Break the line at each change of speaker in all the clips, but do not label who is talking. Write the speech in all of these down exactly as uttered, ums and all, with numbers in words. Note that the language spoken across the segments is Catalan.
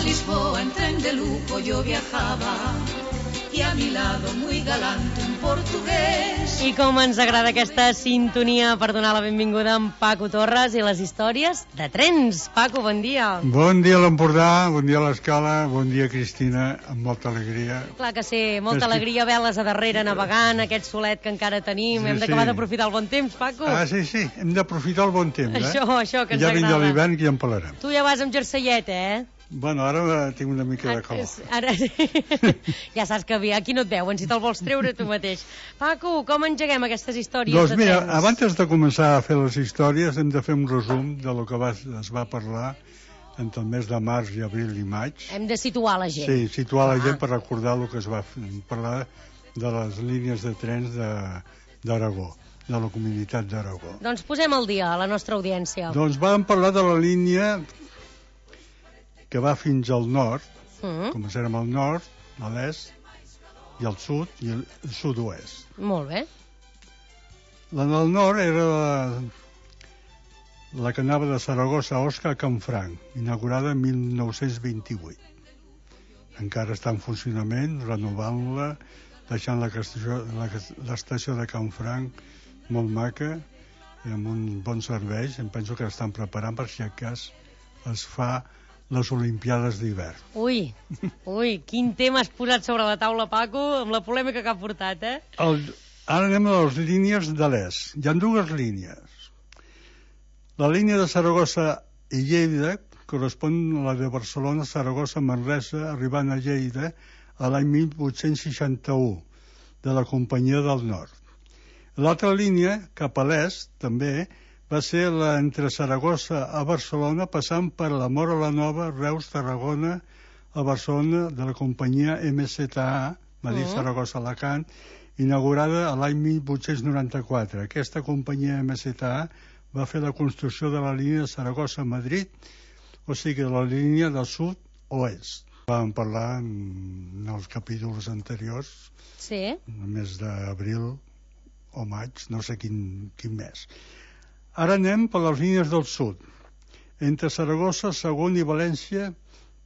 Lisboa en tren de lujo yo viajaba y a mi lado muy galante un portugués.
I com ens agrada aquesta sintonia per donar la benvinguda a en Paco Torres i les històries de trens. Paco, bon dia.
Bon dia a l'Empordà, bon dia a l'Escala, bon dia Cristina, amb molta alegria.
Clar que sí, molta alegria, veles a darrere navegant, aquest solet que encara tenim,
Sí,
hem d'acabar
sí.
d'aprofitar el bon temps, Paco.
Ah, sí, sí, hem d'aprofitar el bon temps, eh?
Això, això, que ens
ja
agrada.
vindrà l'hivern que ja en parlarem.
Tu ja vas amb jerseiet, eh?
Bueno, ara tinc una mica de calor.
Ara, ja saps que aquí no et veuen, si te'l vols treure tu mateix. Paco, com engeguem aquestes històries
Doncs
de
mira,
trens?
abans de començar a fer les històries hem de fer un resum de lo que va, es va parlar entre el mes de març i abril i maig.
Hem de situar la gent.
Sí, situar la
Ah.
gent per recordar el que es va fer, parlar de les línies de trens de- d'Aragó, de, de la comunitat d'Aragó.
Doncs posem al dia a la nostra audiència.
Doncs vam parlar de la línia que va fins al nord,
Mm,
començarem al nord, a l'est, i al sud, i al sud-oest.
molt bé.
La del nord era la, la que anava de Saragossa a Osca a Canfranc, inaugurada en mil nou-cents vint-i-vuit. Encara està en funcionament, renovant-la, deixant la estació, la, l'estació de Canfranc molt maca, amb un bon servei. Em penso que estan preparant per si a cas es fa les Olimpiades d'hivern.
Ui, ui, quin tema has posat sobre la taula, Paco, amb la polèmica que ha portat, eh?
El, ara anem a les línies de l'est. Hi ha dues línies. La línia de Saragossa i Lleida correspon a la de Barcelona, Saragossa, Manresa, arribant a Lleida a l'any mil vuit-cents seixanta-u, de la Companyia del Nord. L'altra línia, cap a l'est, també, va ser la entre Saragossa a Barcelona, passant per la Móra la Nova, Reus, Tarragona, a Barcelona, de la companyia M Z A, Madrid,
Mm.
Saragossa, Alacant, inaugurada a l'any mil vuit-cents noranta-quatre. Aquesta companyia M Z A va fer la construcció de la línia de Saragossa-Madrid, o sigui, de la línia del sud-oest. Vam parlar en els capítols anteriors,
Sí.
el mes d'abril o maig, no sé quin, quin mes. Ara anem per les línies del sud. Entre Saragossa, Sagunt i València,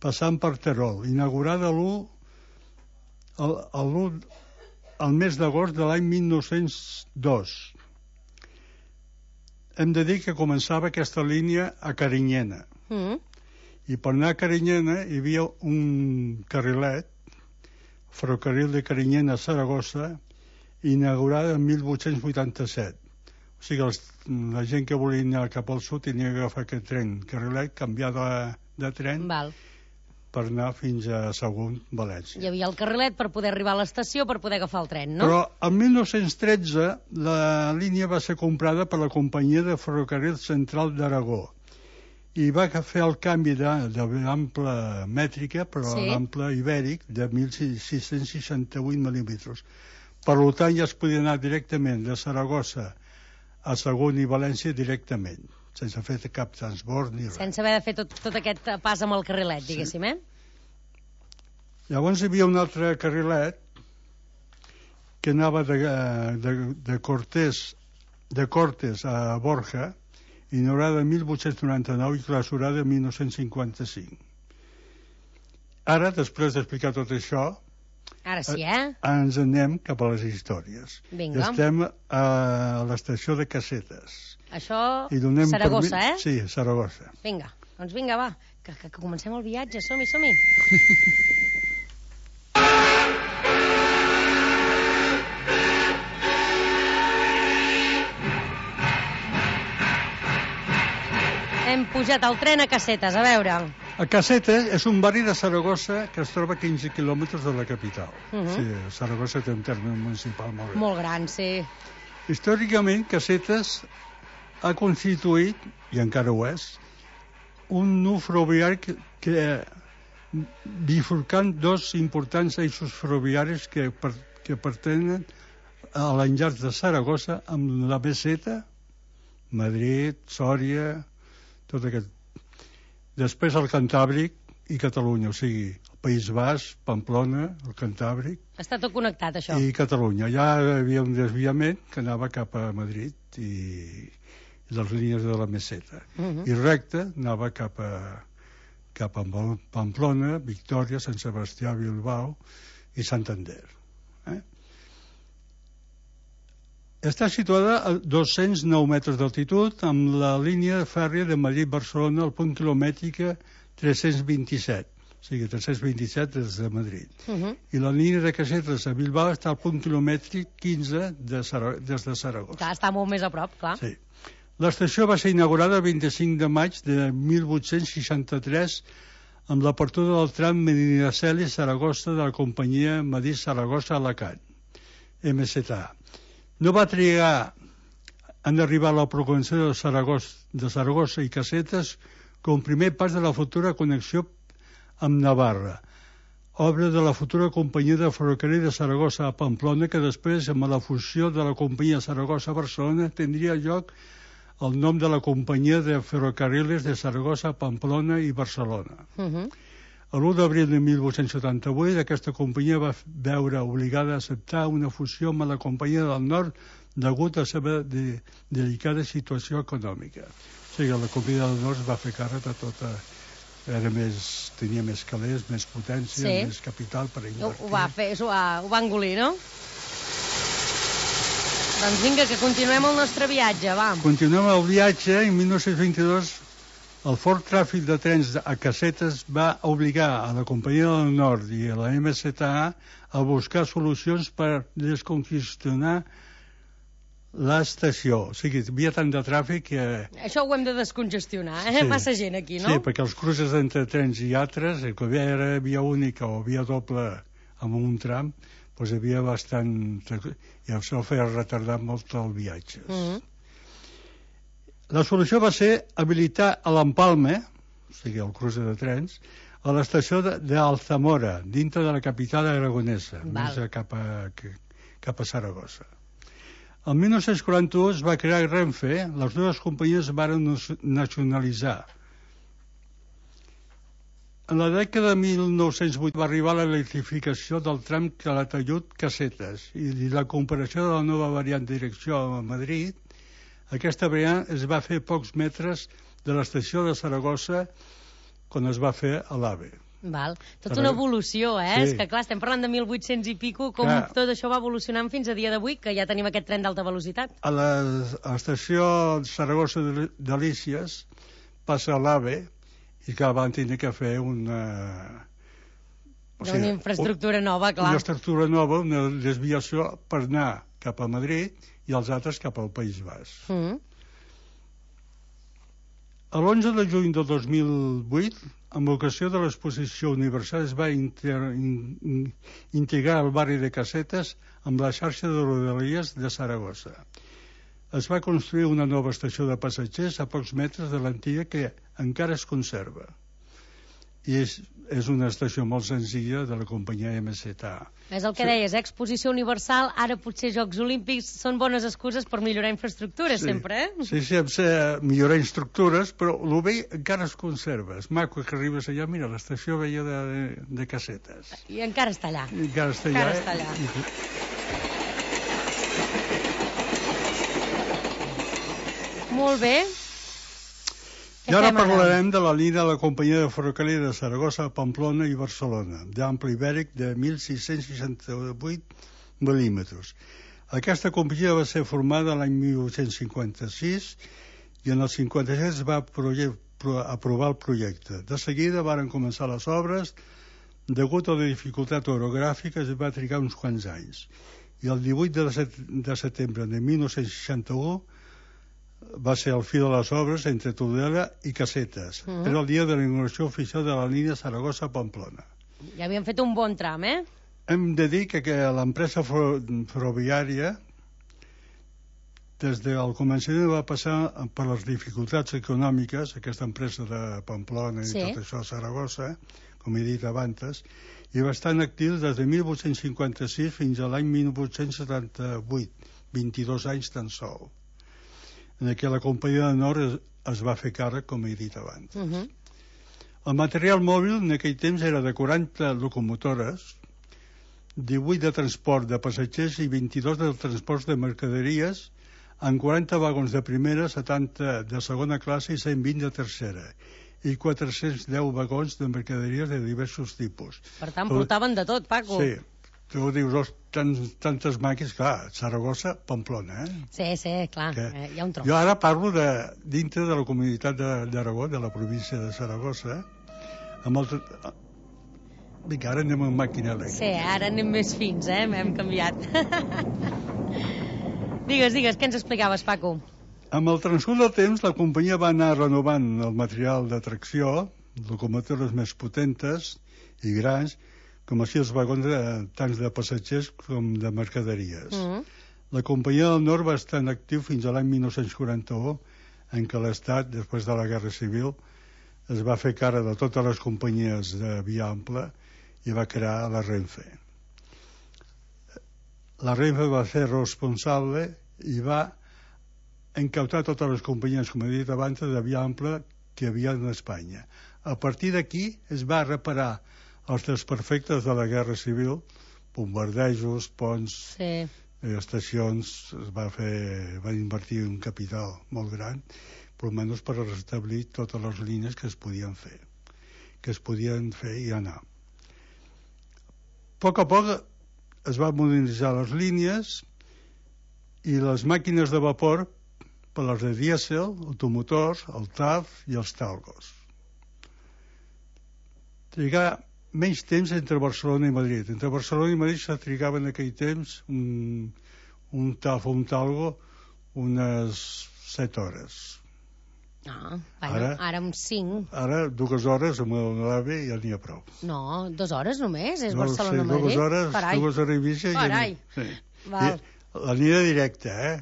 passant per Terol, inaugurada l'u el, el, el mes d'agost de l'any mil nou-cents dos. Hem de dir que començava aquesta línia a Carinyena.
Mm.
I per anar a Carinyena hi havia un carrilet, ferrocarril de Carinyena a Saragossa, inaugurada en mil vuit-cents vuitanta-set. O sigui, els, la gent que volia anar cap al sud tenia que agafar aquest tren carrilet, canviar de, de tren
Val.
per anar fins a Sagunt, València.
Hi havia el carrilet per poder arribar a l'estació per poder agafar el tren, no?
Però en mil nou-cents tretze la línia va ser comprada per la companyia de ferrocarril central d'Aragó i va fer el canvi d'ample mètrica, però
Sí.
l'ample ibèric de mil sis-cents seixanta-vuit mil·límetres. Per tant, ja es podia anar directament de Saragossa a Sagunt i València directament, sense fer cap transport ni res.
Sense haver de fer tot, tot aquest pas amb el carrilet, diguéssim, eh?
Llavors hi havia un altre carrilet que anava de, de, de Cortés de Cortes a Borja, inaugurada en mil vuit-cents noranta-nou i clausurada en mil nou-cents cinquanta-cinc. Ara, després d'explicar tot això,
Ara sí, eh?
ens anem cap a les històries.
Vinga.
Estem a l'estació de Casetes.
Això,
I donem
Saragossa,
permi-
eh?
Sí, Saragossa.
Vinga, doncs vinga, va, que, que, que comencem el viatge, som-hi, som-hi. Hem pujat al tren a Casetes, a veure.
A Casetes és un barri de Saragossa que es troba a quinze quilòmetres de la capital.
Mhm.
Sí, Saragossa té un terme municipal molt gran.
Molt gran, sí.
Històricament, Casetes ha constituït, i encara ho és, un nu ferroviari que, que bifurcant dos importants eixos ferroviaris que, per, que pertenen a l'enllaç de Saragossa amb la meseta, Madrid, Sòria, tot aquest. Després el Cantàbric i Catalunya, o sigui, el País Basc, Pamplona, el Cantàbric
Està tot connectat, això.
i Catalunya. Ja hi havia un desviament que anava cap a Madrid i, i les línies de la meseta.
Mhm.
I recte anava cap a, cap a Pamplona, Victòria, Sant Sebastià, Bilbao i Santander. Eh? Està situada a dos-cents nou metres d'altitud amb la línia fèrria de Madrid-Barcelona al punt quilomètrica tres-cents vint-i-set, o sigui, tres-cents vint-i-set des de Madrid. Uh -huh. I la línia de casetes a Bilbao està al punt quilomètric quinze de Sar- des de Saragossa.
Clar, està molt més a prop, clar.
Sí. L'estació va ser inaugurada el vint-i-cinc de maig de mil vuit-cents seixanta-tres amb l'apertura del tram Medinaceli-Saragossa de la companyia Madrid-Saragossa-Alacant, M Z A. No va trigar en arribar a la programació de Saragossa, de Saragossa i Casetes com primer pas de la futura connexió amb Navarra, obra de la futura companyia de ferrocarril de Saragossa a Pamplona, que després, amb la fusió de la companyia Saragossa-Barcelona, tindria lloc el nom de la companyia de ferrocarriles de Saragossa, Pamplona i Barcelona. Uh -huh. l'u d'abril de mil vuit-cents setanta-vuit aquesta companyia va veure obligada a acceptar una fusió amb la companyia del Nord degut a la seva de, delicada situació econòmica. O sigui, la companyia del Nord es va fer càrrec de tota... Era més, tenia més calés, més potència, sí. més capital per invertir.
Ho va fer, ho va, ho va engolir, no? Doncs vinga, que continuem el nostre viatge, va.
Continuem el viatge. En mil nou-cents vint-i-dos el fort tràfic de trens a Casetes va obligar a la companyia del Nord i a la M Z A a buscar solucions per descongestionar l'estació. O sigui, hi havia tant de tràfic que...
Això ho hem de descongestionar, eh? Sí. Massa gent aquí, no?
Sí, perquè els cruces entre trens i altres, que era via única o via doble amb un tram, doncs hi havia bastant... i això feia retardar molt el viatge. Mm-hmm. La solució va ser habilitar a l'Empalme, o sigui, el cruce de trens, a l'estació d'Alzamora, dintre de la capital aragonesa, Val. més cap a, cap a Saragossa. El mil nou-cents quaranta-u es va crear Renfe, les dues companyies van nacionalitzar. En la dècada de mil nou-cents vuit va arribar l'electrificació del tram Calatayud-Casetes i la comparació de la nova variant de direcció a Madrid. Aquesta variant es va fer pocs metres de l'estació de Saragossa quan es va fer a l'AVE.
Val. Tota una evolució, eh? Sí. És que, clar, estem parlant de mil vuit-cents i pico, com clar. Tot això va evolucionant fins a dia d'avui, que ja tenim aquest tren d'alta velocitat.
A l'estació Saragossa-Delícies passa a l'AVE i que van tenir que fer una...
O sigui, una infraestructura nova, clar.
Una estructura nova, una desviació per anar cap a Madrid i els altres cap al País Basc. Mm. L'onze de juny del dos mil vuit, amb ocasió de l'exposició universal, es va inter, in, integrar el barri de Casetes amb la xarxa de rodalies de Saragossa. Es va construir una nova estació de passatgers a pocs metres de l'antiga que encara es conserva. I és, és una estació molt senzilla de la companyia M Z A.
És el que sí. deies, exposició universal, ara potser Jocs Olímpics, són bones excuses per millorar infraestructures, sí. sempre, eh?
Sí, sí, hem de millorar infraestructures, però el vell encara es conserva. És maco que arribes allà, mira, l'estació veia de, de Casetes.
I encara està allà.
I encara està allà.
Encara està allà. I... Molt bé.
I ara parlarem de la línia de la companyia de ferrocarril de Saragossa, Pamplona i Barcelona, d'ample ibèric de mil sis-cents seixanta-vuit mil·límetres. Aquesta companyia va ser formada l'any mil vuit-cents cinquanta-sis i en el cinquanta-set es va aprovar el projecte. De seguida varen començar les obres, degut a la dificultat orogràfica es va trigar uns quants anys. I el divuit de setembre de mil nou-cents seixanta-u va ser el fi de les obres entre Tudela i Casetes. Uh -huh. Era el dia de la inauguració oficial de la línia Saragossa-Pamplona.
Ja havien fet un bon tram, eh?
Hem de dir que, que l'empresa ferroviària des del començament va passar per les dificultats econòmiques, aquesta empresa de Pamplona i sí. tot això a Saragossa, com he dit abans, i va estar en actiu des de mil vuit-cents cinquanta-sis fins a l'any mil vuit-cents setanta-vuit, vint-i-dos anys tan sol, en què la companyia de Nord es, es va fer càrrec, com he dit abans. Uh -huh. El material mòbil en aquell temps era de quaranta locomotores, divuit de transport de passatgers i vint-i-dos de transports de mercaderies, amb quaranta vagons de primera, setanta de segona classe i cent vint de tercera. i quatre-cents deu vagons de mercaderies de diversos tipus.
Per tant, portaven de tot, Paco.
Sí. Tu dius, oh, tants, tantes màquines, clar, Saragossa, Pamplona, eh?
Sí, sí, clar, que... eh, hi ha un tros.
Jo ara parlo de, dintre de la comunitat d'Aragó, de la província de Saragossa, amb el... Vinga, ara anem amb màquina elèctrica.
Sí, ara anem més fins, eh? Hem canviat. Digues, digues, què ens explicaves, Paco?
Amb el transcurs del temps, la companyia va anar renovant el material de tracció, locomotores més potentes i grans, com així els vagons de, tant de passatgers com de mercaderies. Mm. La companyia del Nord va estar en actiu fins a l'any mil nou-cents quaranta-u, en què l'Estat, després de la Guerra Civil, es va fer cara de totes les companyies de via ampla i va crear la Renfe. La Renfe va ser responsable i va incautar totes les companyies, com he dit abans, de via ampla que hi havia en Espanya. A partir d'aquí es va reparar els desperfectes de la Guerra Civil, bombardejos, ponts, sí. eh, estacions, es va fer, va invertir un capital molt gran, però almenys per restablir totes les línies que es podien fer, que es podien fer i anar. A poc a poc es van modernitzar les línies i les màquines de vapor per les de dièsel, automotors, el T A F i els Talgos. Trigar menys temps entre Barcelona i Madrid. Entre Barcelona i Madrid se trigava en aquell temps un, un T A F o un Talgo unes set hores.
Ah, bueno, ara, ara amb cinc.
Ara dues hores amb l'AVE ja n'hi ha prou.
No, dues hores només? És
no,
Barcelona-Madrid?
Sí, dues hores,
Carai.
dues hores i mitja.
Carai.
Ja sí.
Val.
I, la línia directa, eh?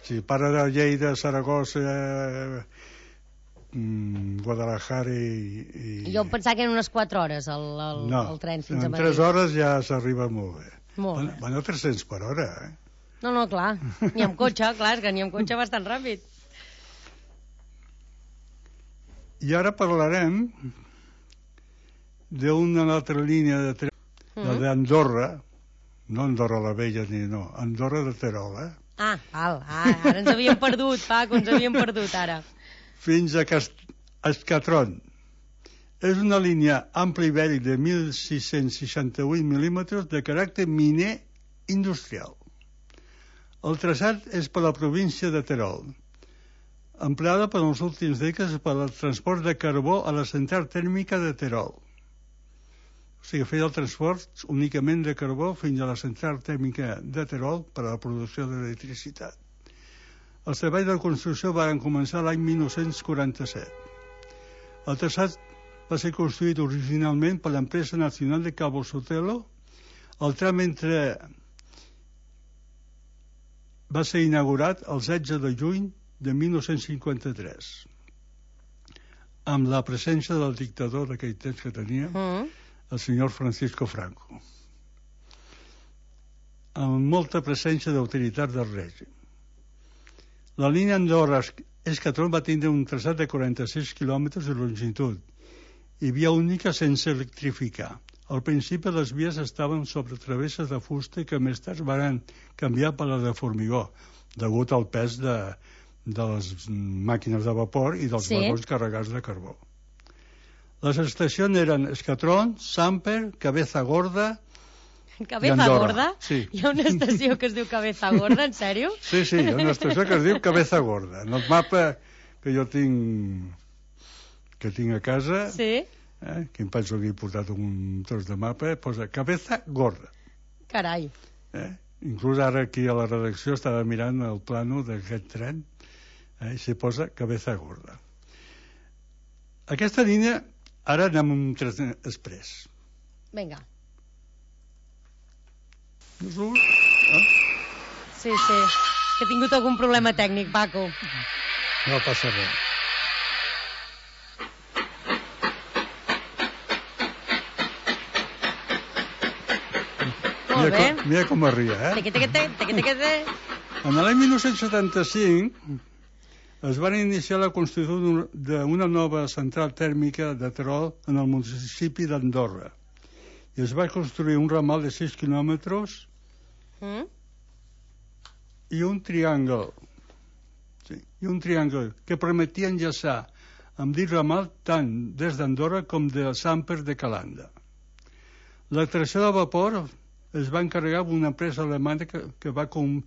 Si para de Lleida, Saragossa... Eh, Guadalajara i, i...
Jo em pensava que eren unes quatre hores el, el,
no,
el tren fins a Madrid.
En tres hores ja s'arriba molt bé.
Molt
van,
bé.
Van a tres-cents per hora, eh?
No, no, clar. Ni amb cotxe, clar, és que ni amb cotxe bastant ràpid.
I ara parlarem d'una altra línia de tren, mm. la d'Andorra, no Andorra la Vella ni no, Andorra de Terol, eh?
Ah, val, ah, ara ens havíem perdut, Paco, ens havíem perdut ara.
Fins a Escatron. És una línia ampla i vell de mil sis-cents seixanta-vuit mil·límetres de caràcter miner industrial. El traçat és per la província de Terol, empleada per les últimes dècades per al transport de carbó a la central tèrmica de Terol. O sigui, feia el transport únicament de carbó fins a la central tèrmica de Terol per a la producció d'electricitat. Els treballs de construcció van començar l'any mil nou-cents quaranta-set. El traçat va ser construït originalment per l'empresa nacional de Cabo Sotelo. El tram entre va ser inaugurat el setze de juny de mil nou-cents cinquanta-tres, amb la presència del dictador d'aquell temps que tenia, mm. el senyor Francisco Franco, amb molta presència d'autoritats del règim. La línia Andorra-Escatron va tindre un traçat de quaranta-sis quilòmetres de longitud i via única sense electrificar. Al principi les vies estaven sobre travesses de fusta que més tard van canviar per la de formigó, degut al pes de, de les màquines de vapor i dels sí. vagons carregats de carbó. Les estacions eren Escatron, Samper, Cabeza Gorda...
Cabeza Gorda?
Sí.
Hi ha una estació que es diu Cabeza Gorda, en sèrio?
Sí, sí, hi ha una estació que es diu Cabeza Gorda. En el mapa que jo tinc que tinc a casa,
sí.
eh, que em penso que he portat un tros de mapa, posa Cabeza Gorda.
Carai.
Eh? Inclús ara aquí a la redacció estava mirant el plano d'aquest tren, eh, i s'hi posa Cabeza Gorda. Aquesta línia, ara anem amb un tren express.
Vinga.
Ah?
Sí, sí. Que he tingut algun problema tècnic, Paco.
No passa res.
Molt bé.
Com, mira com arria, eh?
Teque, teque, teque, teque, teque.
En l'any mil nou-cents setanta-cinc es van iniciar la construcció d'una nova central tèrmica de Terol en el municipi d'Andorra. I es va construir un ramal de sis quilòmetres mm? i un triangle sí, i un triangle que permetia enllaçar amb dit ramal tant des d'Andorra com de Samper de Calanda. La tracció de vapor es va encarregar d'una empresa alemanya que, que va com,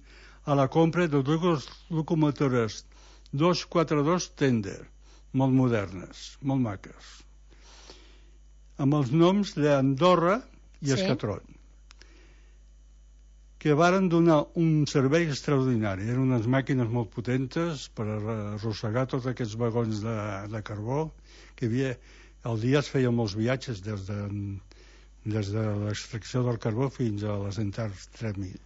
a la compra de dues locomotores dos quaranta-dos Tender, molt modernes, molt maques, amb els noms d'Andorra i sí. Escatron, que varen donar un servei extraordinari. Eren unes màquines molt potentes per arrossegar tots aquests vagons de, de carbó que hi havia. Al dia es feien molts viatges des de, des de l'extracció del carbó fins a les centrals tèrmiques,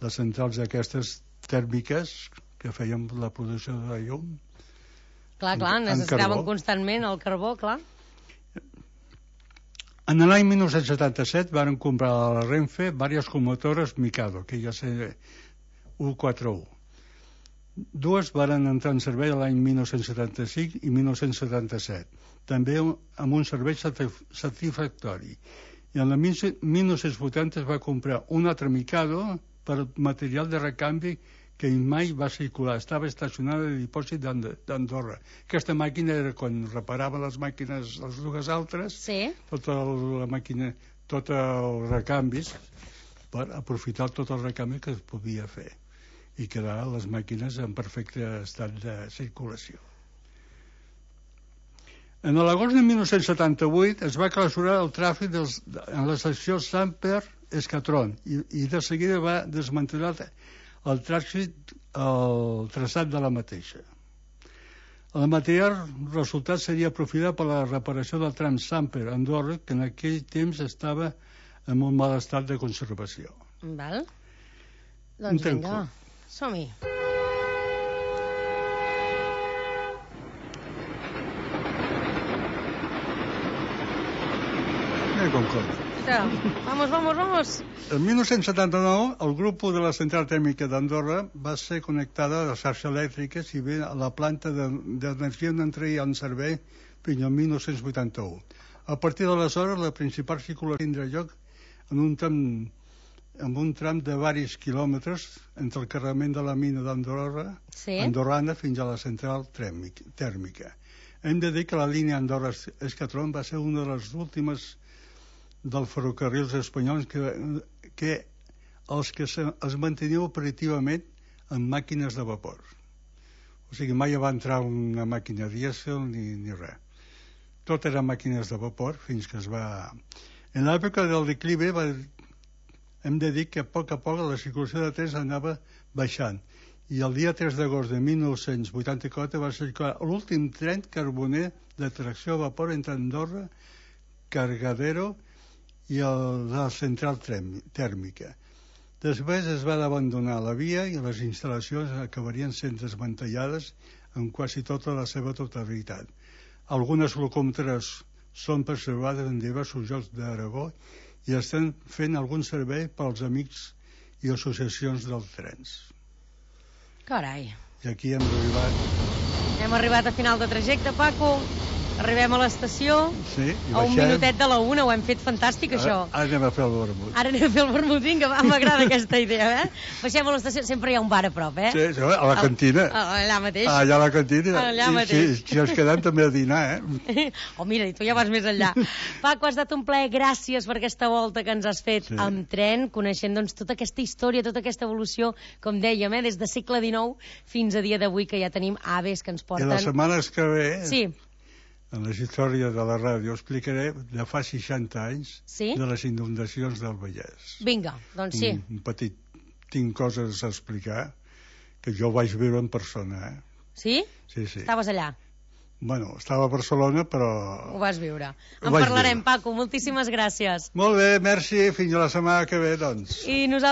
les centrals aquestes tèrmiques que feien la producció de llum.
Clar, clar, necessitaven constantment el carbó, clar.
En l'any dinou setanta-set van comprar a la Renfe diverses locomotores Mikado, que ja sé, cent quaranta-u. Dues van entrar en servei l'any dinou setanta-cinc i dinou setanta-set, també amb un servei satisfactori. I en el dinou vuitanta es va comprar un altre Mikado per material de recanvi que mai va circular, estava estacionada de dipòsit d'Andorra. Aquesta màquina era quan reparava les màquines, les dues altres, sí. tota la màquina, tot els recanvis, per aprofitar tot el recanvi que es podia fer i quedar les màquines en perfecte estat de circulació. En l'agost de dinou setanta-vuit es va clausurar el tràfic dels, en la secció Samper-Escatron i, i de seguida va desmantellar el trànsit, el traçat de la mateixa. El material resultat seria aprofitat per la reparació del tram Samper-Andorra, que en aquell temps estava en un mal estat de conservació.
Val. Doncs vinga, som-hi.
Mira com corre.
Vamos, vamos, vamos.
En dinou setanta-nou, el grup de la central tèrmica d'Andorra va ser connectada a la xarxa elèctrica, si bé a la planta d'energia no entraria en servei fins al dinou vuitanta-u. A partir d'aleshores, la principal circulació tindrà lloc en un tram, en un tram de diversos quilòmetres entre el carregament de la mina d'Andorra, sí. andorrana, fins a la central tèrmica. Hem de dir que la línia Andorra-Escatron va ser una de les últimes dels ferrocarrils espanyols que, que els que se, es mantenia operativament en màquines de vapor. O sigui, mai va entrar una màquina dièsel ni, ni res. Tot eren màquines de vapor fins que es va... En l'època del declive va... hem de dir que a poc a poc la circulació de trens anava baixant i el dia tres d'agost de dinou vuitanta-quatre va circular l'últim tren carboner de tracció a vapor entre Andorra, Cargadero i el, la central tèrmica. Després es va abandonar la via i les instal·lacions acabarien sent desmantellades en quasi tota la seva totalitat. Algunes locomotores són preservades en diversos llocs d'Aragó i estan fent algun servei pels amics i associacions dels trens.
Carai.
I aquí hem arribat...
Hem arribat a final de trajecte, Paco. Arribem a l'estació,
sí,
a un minutet de la una, ho hem fet fantàstic,
ara,
això.
Ara anem a fer el vermut.
Ara anem a fer el vermut, vinga, m'agrada aquesta idea, eh? Baixem a l'estació, sempre hi ha un bar a prop, eh?
Sí, a la cantina.
Allà mateix.
Allà a la cantina.
Allà
I,
mateix.
Si, si ens quedem també a dinar, eh?
Oh, mira, i tu ja vas més enllà. Paco, ha estat un plaer, gràcies per aquesta volta que ens has fet sí. amb tren, coneixent doncs tota aquesta història, tota aquesta evolució, com dèiem, eh? Des del segle dinou fins a dia d'avui, que ja tenim aves que ens porten...
I les setmanes que ve...
Sí.
En la història de la ràdio explicaré de fa seixanta anys sí? de les inundacions del Vallès.
Vinga, doncs sí.
Un, un petit... Tinc coses a explicar que jo vaig viure en persona, eh?
Sí?
Sí, sí.
Estaves allà?
Bueno, estava a Barcelona, però...
Ho vas viure. En parlarem, viure. Paco, moltíssimes gràcies.
Molt bé, merci. Fins a la setmana que ve, doncs.
I nosaltres...